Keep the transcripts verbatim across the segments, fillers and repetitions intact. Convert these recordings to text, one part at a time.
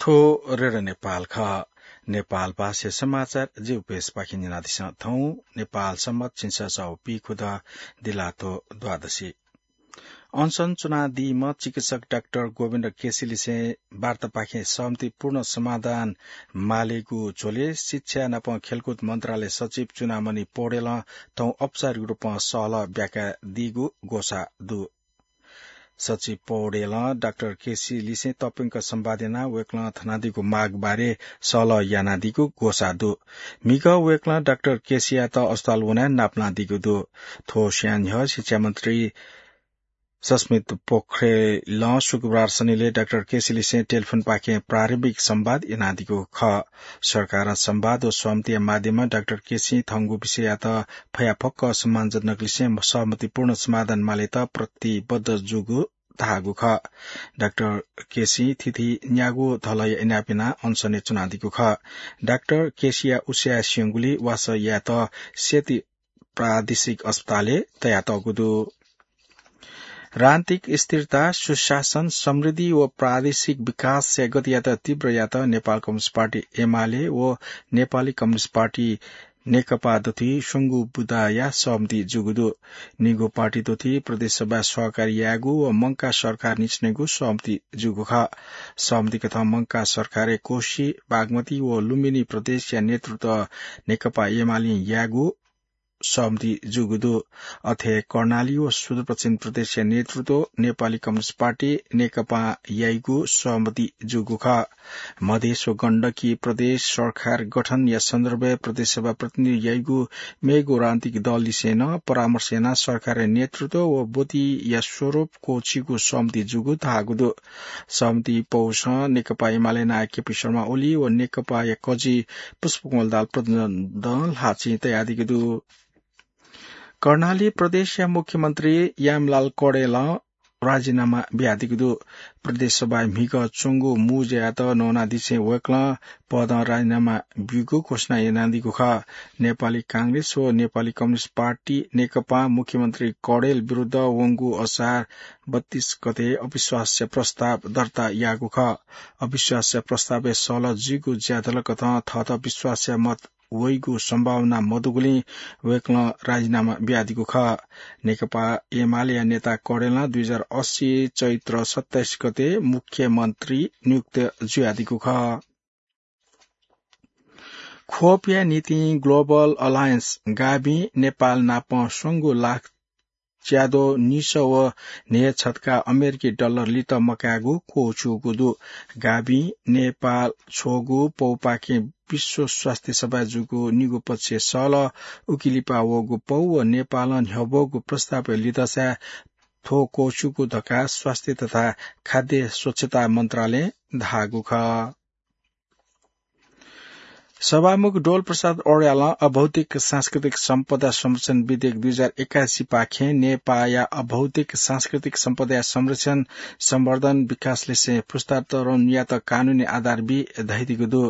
थ्व रेडियो नेपाल खः। नेपाल भाषा समाचार जिगु पेजपाखें न्यनादिसँ। थौं नेपाल संवत् झिंछसः व पीखुदँ दिल्लाथ्व द्वादशी। अनसन च्वनादीम्ह चिकित्सक डाक्टर गोविन्द केसीलिसें वार्तापाखें सहमतिपूर्ण समाधान मालेगु झ्वलय् शिक्षा नाप खेलकुद मन्त्रालय सचिव चुडामणि पौडेलं थौं औपचारिक रूपं सहलह ब्याकादीगु ग्वसाः दु। सचिव पौडेलं डाक्टर केसीलिसें तःप्यंक संवाद यानाः वय्कलं थनादीगु माग बारे सहलह यानादीगु ग्वसाः दु। म्हिगः वय्कलं डाक्टर केसीयात अस्पताल वनाः नापलानादीगु दु। थ्व स्वयां न्ह्यः शिक्षा मन्त्री सस्मित पोखरेलं शुक्रबार सनिलय् डाक्टर केसीलिसें टेलिफोनपाखें प्रारम्भिक संवाद यानादीगु खः। सरकारं संवाद व सहमतिया माध्यमं डाक्टर केसीं थंगु विषययात फयाफक्क सम्मानजनक लिसें सहमतिपूर्ण समाधान मालेत प्रतिबद्ध जूगु धाःगु खः। डाक्टर केसीं थीथी न्यागू धलया इनाप यानाः अनसनय् च्वनादीगु खः। डाक्टर केसीया उसाँय् स्यंगुलिं वासः यायेत सेती प्रादेशिक अस्पतालय् तयातःगु दु। राजनीतिक स्थिरता, सुशासन, समृद्धि व प्रादेशिक विकासया गतियात तीव्र यायेत नेपाल कम्युनिस्ट पार्टी एमाले व नेपाली कम्युनिस्ट पार्टी नेकपा दथुइ स्वंगू बुँदाया सहमति जूगु दु। निगू पार्टी दथुइ प्रदेश सभाय् सहकार्य यायेगु व मंकाः सरकार निसेनयेगु सहमति जूगु खः। सहमति कथं मंकाः सरकारय् कोशी, बागमती व लुम्बिनी प्रदेशया नेतृत्व नेकपा एमालें यायेगु सहमति जूगु दु। अथे कर्णाली व सुदूरपश्चिम प्रदेशया नेतृत्व नेपाली कम्युनिस्ट पार्टी नेकपां याइगु सहमति जूगु खः। मधेस व गण्डकी प्रदेश सरकार गठनया सन्दर्भय् प्रदेश सभा प्रतिनिधि याइगु मेगु राजनीतिक दललिसें नं परामर्श यानाः सरकारया नेतृत्व व ब्वतिया स्वरूप क्वःछिइगु सहमति जूगु धाःगु दु। सहमति पौसं नेकपा एमाले नायः केपी शर्मा ओली व नेकपाया कजि पुष्पकमल दाहाल प्रचण्डं ल्हाःचिं तयादीगु दु। कर्णाली प्रदेशया मुख्यमन्त्री यामलाल कडेलं राजीनामा बियादीगु दु। प्रदेश सभाय् म्हिगः च्वंगु मू ज्यायात नवानादिसें वय्कलं पदं राजीनामा ब्यूगु घोषणा यानादीगु खः। नेपाली कांग्रेस व नेपाली कम्युनिस्ट पार्टी नेकपां मुख्यमन्त्री कडेल विरुद्ध वंगु असार बत्तीस गते अविश्वासया प्रस्ताव दर्ता याःगु खः। अविश्वासया प्रस्तावय् सहलह जुइगु ज्याझ्वलय् कथं थःत विश्वासया मत वइगु सम्भावना मदुगुलिं वय्कलं राजीनामा बियादीगु खः। नेकपा एमालेया नेता कडेलं दुई हजार अस्सी चैत्र सत्ताइस गते मुख्यमन्त्री नियुक्त जुयादीगु खः। खोपया निंतिं ग्लोबल अलायन्स गाभिं नेपाल नाप स्वंगू लाख च्याद्वः निसः व न्हय्छत्का अमेरिकी डलर लित मकायेगु क्वःछिइगु दु। गाभिं नेपाल छ्वःगू पौपाखें विश्व स्वास्थ्य सभाय् जूगु निगू पक्षीय सहलह उकी लिपा वःगु पौ व नेपालं न्ह्यब्वःगु प्रस्तावय् लिधंसाय् थ्व क्वःछिइगु धकाः स्वास्थ्य तथा खाद्य स्वच्छता मन्त्रालयं धाःगु खः। सभामुख डोल प्रसाद अर्यालं अभौतिक सांस्कृतिक सम्पदा संरक्षण विधेयक दुई हजार एकासी पाखें नेपाःया अभौतिक सांस्कृतिक सम्पदाया संरक्षण, सम्वर्धन, विकासलिसें पुस्तान्तरणयात कानूनी आधार बी धयादीगु दु।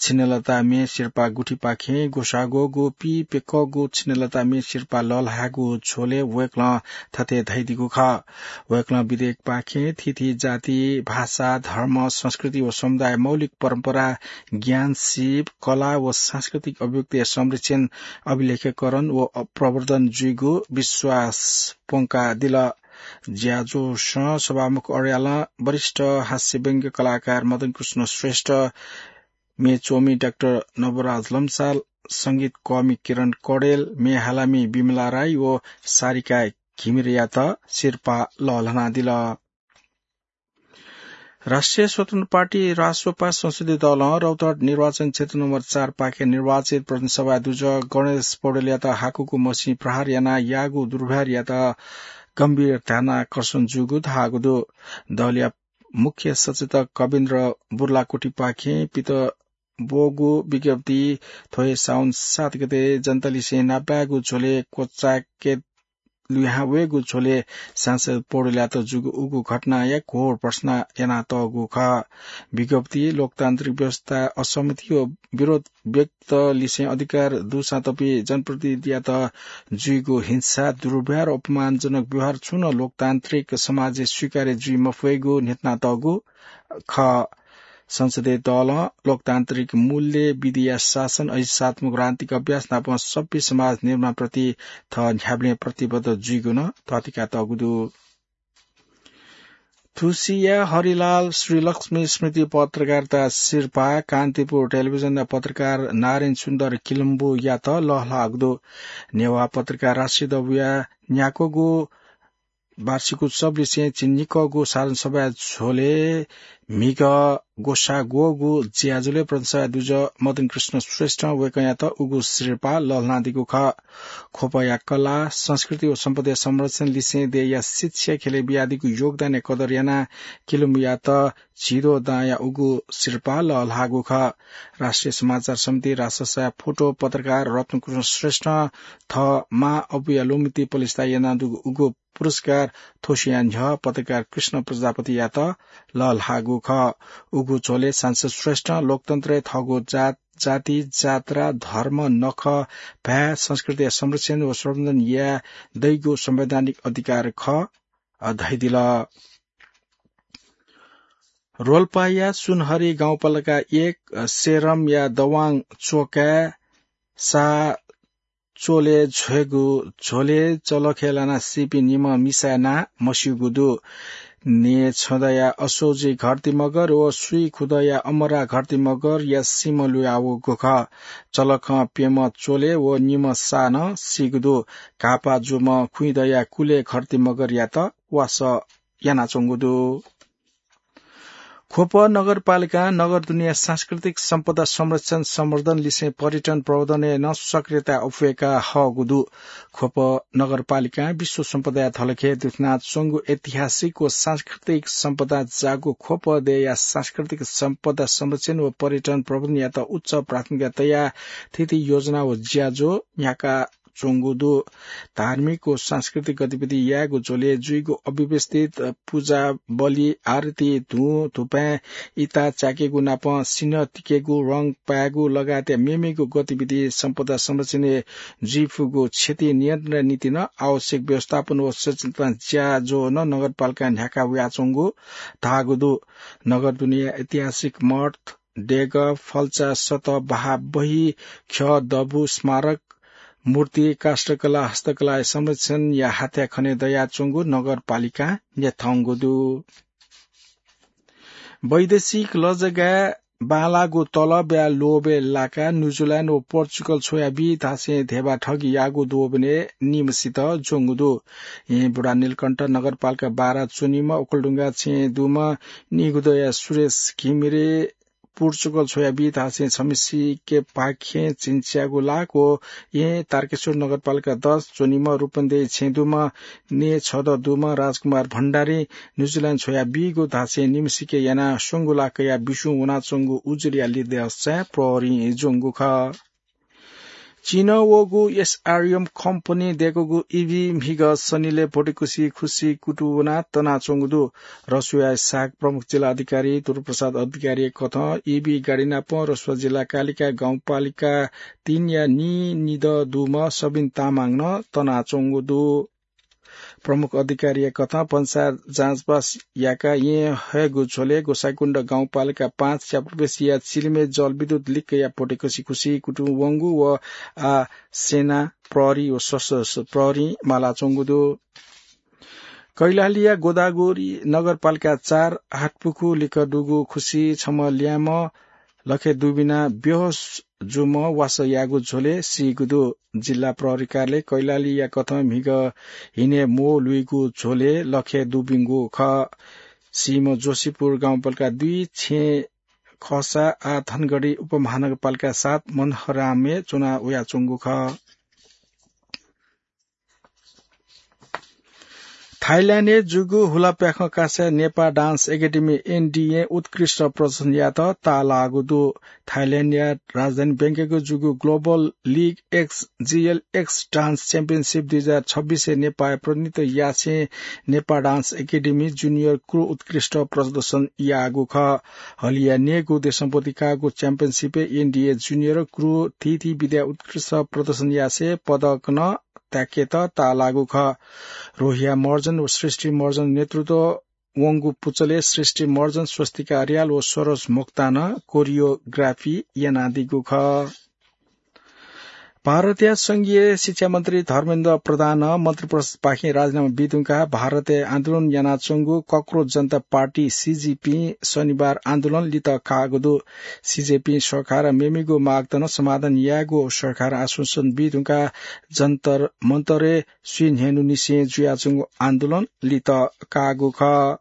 छिन्हलता म्ये सिरपाः गुथिपाखें ग्वसाः ग्वःगु पीप्यकःगु छिन्हलता म्ये सिरपाः लःल्हायेगु झ्वलय् वय्कलं थथे धयादीगु खः। वय्कलं विधेयकपाखें थीथी जाति, भाषा, धर्म, संस्कृति व समुदाय मौलिक परम्परा, ज्ञान, सीप, कला व सांस्कृतिक अभिव्यक्तिया संरक्षण, अभिलेखीकरण व प्रवर्धन जुइगु विश्वास प्वंकादिल। ज्याझ्वलय् सभामुख अर्यालं वरिष्ठ हास्य व्यंग्य कलाकार मदन कृष्ण श्रेष्ठ, म्ये च्वमि डाक्टर नवराज लम्साल, संगीत कःमि किरण कडेल, म्ये हालामि विमला राई व सारिका घिमिरेयात सिरपाः लःल्हानादिल। राष्ट्रिय स्वतन्त्र पार्टी, रास्वपा, संसदीय दलं रौतहट निर्वाचन क्षेत्र नम्बर चार पाखें निर्वाचित प्रतिनिधि सभा दुजः गणेश पौडेलयात हाकुगु मसिं प्रहार यानाः याःगु दुर्व्यवहारयात गम्भीर ध्यानाकर्षण जूगु धाःगु दु। दलया मुख्य सचेतक कविन्द्र बुर्लाकोटीपाखें पित ब्वःगु विज्ञप्ति थ्व हे साउन सात गते जनतालिसें नापलायेगु झ्वलय् क्वचाय्के लुहां वयेगु झ्वलय् सांसद पौडेलयात जूगु उगु घटनाया घोर भर्त्सना यानातःगु खः। विज्ञप्ति लोकतान्त्रिक व्यवस्था असहमति व विरोध व्यक्तलिसें अधिकार दुसां तपि जनप्रतिनिधियात जुइगु हिंसा, दुर्व्यवहार, अपमानजनक व्यवहार छुं नं लोकतान्त्रिक समाजय् स्वीकार्य जुइ मफयेगु न्ह्यथनातःगु खः। संसदीय दलं लोकतान्त्रिक मूल्य, विधिया शासन, अहिंसात्मक रणनीतिक अभ्यास नापं सभ्य समाज निर्माणप्रति थः न्ह्याबलें प्रतिबद्ध जुइगु नं तःधिकातःगु दु। थुसिया हरिलाल श्रीलक्ष्मी स्मृति पत्रकारिता सिरपाः कान्तिपुर टेलिभिजनया पत्रकार नारायण सुन्दर किलम्बुयात लःल्हाःगु दु। नेवाः पत्रकार राष्ट्रिय दबूया न्याक्वःगु वार्षिक उत्सवलिसें झिंनिक्वःगु साधारण सभाया झ्वलय् म्हिगः ग्वसाः ग्वःगु ज्याझ्वलय् प्रदेशसभा दुजः मदन कृष्ण श्रेष्ठं वय्कःयात उगु सिरपाः लःल्हानादीगु खः। ख्वपया कला, संस्कृति व सम्पदाया संरक्षण लिसें देय्‌या शिक्षा ख्यलय् बियादीगु योगदानया कदर यानाः किलम्बुयात झिद्वः दांया उगु सिरपाः लःल्हाःगु खः। राष्ट्रिय समाचार समिति राजसभाया फोटो पत्रकार रत्नकृष्ण श्रेष्ठं थः मां अबुया ल्वःमतिइ पलिस्था यानादीगु उगु पुरस्कार थ्वसिया न्ह्यः पत्रकार कृष्ण प्रजापतियात लःल्हाःगु खः। उगु झ्वलय् सांसद श्रेष्ठं लोकतन्त्रय् थःगु जात, जाति, जात्रा, धर्म, नखः, भाय्, संस्कृतिया संरक्षण व संवर्धन याये दइगु संवैधानिक अधिकार खः, अ, धयादिल। रोल्पाया सुनहरी गाउँपालिका एक, अ, सेरमया दवाङ चोकाय् सा चोले झ्वयेगु झ्वलय् चलखय् लानाः सीपिं निम्ह मिसाया नां मस्यूगु दु। नेछदँया असोजी घरती मगर व सुइखुदँया अमरा घरती मगरया सीम्ह लुयावःगु खः। चलखं प्यम्ह चोले व निम्ह सा नं सीगु दु। घाःपाः जूम्ह खुइदँया कुले घरती मगरयात वासः यानाच्वंगु दु। ख्वप नगरपालिकां नगरदुनेया सांस्कृतिक सम्पदा संरक्षण संवर्धन लिसें पर्यटन प्रवर्धनय् नं सक्रियता अप्वय्का हःगु दु। ख्वप नगरपालिकां विश्व सम्पदाया धलखय् दुथ्यानाच्वंगु ऐतिहासिक व सांस्कृतिक सम्पदा जाःगु ख्वप देय्‌या सांस्कृतिक सम्पदा संरक्षण व पर्यटन प्रवर्धनयात उच्च प्राथमिकता तयाः थीथी योजना व ज्याझ्वः न्ह्याका च्वंगु दु। धार्मिक व सांस्कृतिक गतिविधि यायेगु झ्वलय् जुइगु अव्यवस्थित पुजा, बलि, आरती, धुँ, धुपाँय् इता च्याकेगु नापं सिन्हः तिकेगु, रंग पायेगु लगायतया मेमेगु गतिविधि सम्पदा संरक्षणय् जुइफुगु क्षति नियन्त्रणया निंतिं नं आवश्यक व्यवस्थापन व सचेतना ज्याझ्वः नं नगरपालिकां न्ह्याका वयाच्वंगु धाःगु दु। नगरदुनेया ऐतिहासिक मठ, देगः, फल्चा, सतः, बहाः, बही, ख्यः, दबू, स्मारक, मूर्ति, काष्ठकला, हस्तकलाया संरक्षणया हाथ्या खने दयाच्वंगु नगरपालिकां न्ह्यथंगु दु। वैदेशिक लजगाय् बांलाःगु तलबया लोभय् लाकाः न्यूजिल्यान्ड व पोर्चुगल छ्वयाबी धासें धेबा ठगी याःगु द्वःबिने निम्हसित ज्वंगु दु। येँ बुढा नीलकण्ठ नगरपालिका बाह्र च्वनीम्ह ओखलढुङ्गा छेँय् दुम्ह निगुदँया सुरेश घिमिरे पोर्चुगल छ्वयाबी धासें छम्हसिके पाखें झिंच्यागु लाख व येँ तारकेश्वर नगरपालिका दस च्वनीम्ह रूपन्देही छेँय् दुम्ह नेछदँ दुम्ह राजकुमार भण्डारी न्यूजिल्यान्ड छ्वयाबीगु धासें निम्हसिके यानाः स्वंगू लाख कयाः बिस्युं वनाच्वंगु उजुरया लिधंसाय् प्रहरीं ज्वंगु खः। चीनं वःगु एसआरएम कम्पनीं दय्कूगु ईभी म्हिगः सनिलय् भोटेकुसि खुसि कुतुं वनाः तनाच्वंगु दु। रसुवाया सहायक प्रमुख जिल्ला अधिकारी दुर्गाप्रसाद अधिकारीया कथं ईभी गाडी नाप रसुवा जिल्ला कालिका गाउँपालिका तीनया नीनिदँ दुम्ह सबिन तामाङ नं तनाच्वंगु दु। प्रमुख अधिकारीया कथं भन्सार जाँचबास याकाः येँ हयेगु झ्वलय् गोसाइँकुण्ड गाउँपालिका पाँच च्यापुर्बेसिया चिलिमय् जलविद्युत लिक्कया भोटेकुसि खुसि कुतुं वंगु व आः स्यनाः प्रहरी व सशस्त्र प्रहरीं मालाच्वंगु दु। कैलालीया गोदावरी नगरपालिका चार हाटपुखु लिक्क दुगु खुसि छम्ह ल्याय्म्ह लखे दुबिनाः बेहोस जूम्ह वासः याःगु झ्वलय् सीगु दु। जिल्ला प्रहरी कार्यालय कैलालीया कथं म्हिगः हिने म्वः लुइगु झ्वलय् लखे दुबिंगु खः। सीम्ह जोशीपुर गाउँपालिका दुई छेँ खःसा आः धनगढी उपमहानगरपालिका सात मनहरामय् च्वना वयाच्वंगु खः। थाइल्याण्डय् जूगु हुलाप्याखं कासाय् नेपाः डान्स एकेडेमी एनडिए उत्कृष्ट प्रदर्शन यायेत ताःलाःगु दु। थाइल्याण्डया राजधानी ब्याङ्ककय् जूगु ग्लोबल लिग एक्स, जिएलएक्स डान्स च्याम्पियनसिप दुई हजार छब्बिसय् नेपाःया प्रतिनिधित्व यासें नेपाः डान्स एकेडेमी जुनियर क्रु उत्कृष्ट प्रदर्शन याःगु खः। हलिया न्यय्गू देशं ब्वति काःगु च्याम्पियनसिपय् एनडिए जुनियर क्रु थीथी विधाय् उत्कृष्ट प्रदर्शन यासें पदक नं ताय्केत ताःलाःगु खः। रोहिया महर्जन व सृष्टि महर्जन नेतृत्व वंगु पुचलय् सृष्टि मर्जन, स्वस्तिका अर्याल व सरोज मोक्तानं कोरियोग्राफी यानादीगु खः। भारतया संघीय शिक्षा मन्त्री धर्मेन्द्र प्रधानं मन्त्री परिषदपाखें राजीनामा बीधुंकाः भारतय् आन्दोलन यानाच्वंगु कक्रोच जनता पार्टी, सिजेपीं शनिबार आन्दोलन लित काःगु दु। सिजेपीं सरकारं मेमेगु मागत नं समाधान यायेगु सरकारं आश्वासन बीधुंकाः जन्तर मन्तरय् स्वीन्हय्‌न्हुनिसें जुयाच्वंगु आन्दोलन लित काःगु खः।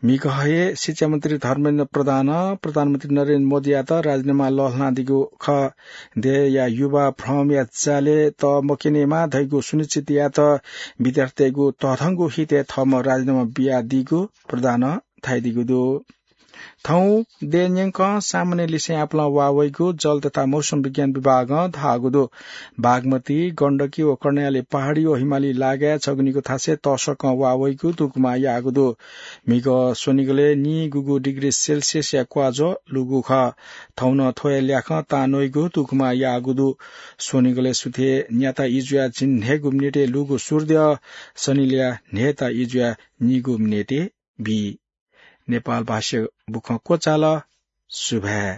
म्हिगः हे शिक्षा मन्त्री धर्मेन्द्र प्रधानं प्रधानमन्त्री नरेन्द्र मोदीयात राजीनामा लःल्हानादीगु खः। देय्‌या युवा भ्रमया जालय् तःमक्यनेमा धइगु सुनिश्चित यायेत विद्यार्थीतय्‌गु तःधंगु हितय् थःम्हं राजीनामा बियादीगु प्रधानं धयादीगु दु। थौं देय् न्यंकं सामान्य लिसें आपालं वाः वइगु जल तथा मौसम विज्ञान विभागं धाःगु दु। बागमती, गण्डकी व कर्णाली पहाडी व हिमाली लागाय् छगू निगू थासय् तःसकं वाः वइगु दुगुमा याःगु दु। म्हिगः स्वनिगलय् निगूगु डिग्री सेल्सियसया क्वाज्वः लूगु खः। थौं नं थ्वया ल्याखं तांन्वइगु दुगुमा याःगु दु। स्वनिगलय् सुथय् न्याता इजुया झिंन्हय्‌गू मिनेटय् लूगु सूर्यद्यः शनिलया न्हय्‌ता इजुया निगू मिनेटय् बी। नेपाल भाषाया बुखँ क्वचाल। सुभाय्।